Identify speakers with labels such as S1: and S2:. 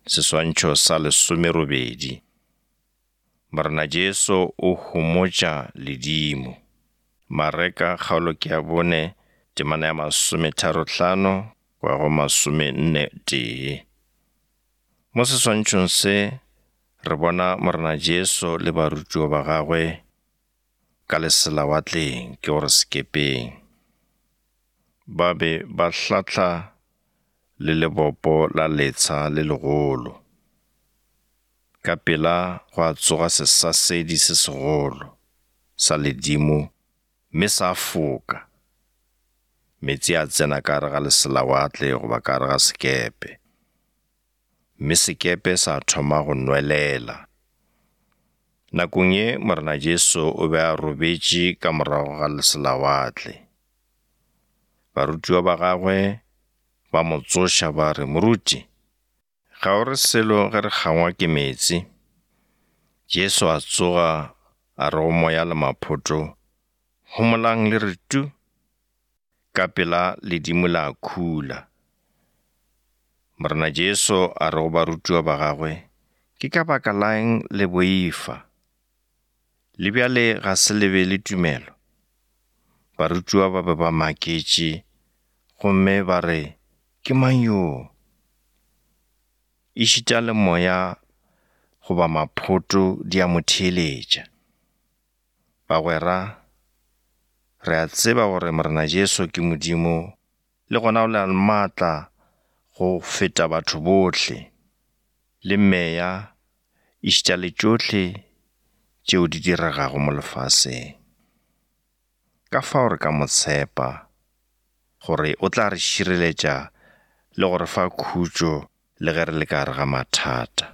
S1: Seswantšho sa lesomerobedi. Morena Jesu o homotša ledimo. Mareka kgaolo ke ya bone, temana ya masometharohlano go ya go masomenne tee. Mo seswantšhong se re bona Morena Jesu le barutiwa ba gagwe ka leselawatleng, ke gore sekepeng. Ba be ba hlahla le lebopo la letsha le legolo. Ka pela gwa tsoga sesasedi se segolo sa ledimo mme sa foka. Meetse a tsena ka gare ga leselawatle goba ka gare ga sekepe, mme sekepe sa thoma go nwelela. Nakong ye Morena Jesu o be a robetše ka morago ga leselawatle. Barutiwa ba gagwe ba mo tsoša ba re, Moruti, ga o re selo ge re kgangwa ke meetse? Jesu a tsoga a re go moya le maphoto, Homolang le re tu! Ka pela ledimo la khula. Morena Jesu a re go barutiwa ba gagwe, Ke ka baka la'ng le boifa? Le bjale ga se le be le tumelo? Barutiwa ba be ba maketše gomme ba re, Ke mang yo? Ešita le moya goba maphoto di a mo theeletša. Bagwera, re a tseba gore Morena Jesu ke Modimo le gona o na le maatla go feta batho bohle, le meya, ešita le tšohle tšeo di diregago mo lefaseng. Ka fao re ka mo tshepa gore o tla re šireletša le go re fa khutšo le ge re le ka gare ga mathata.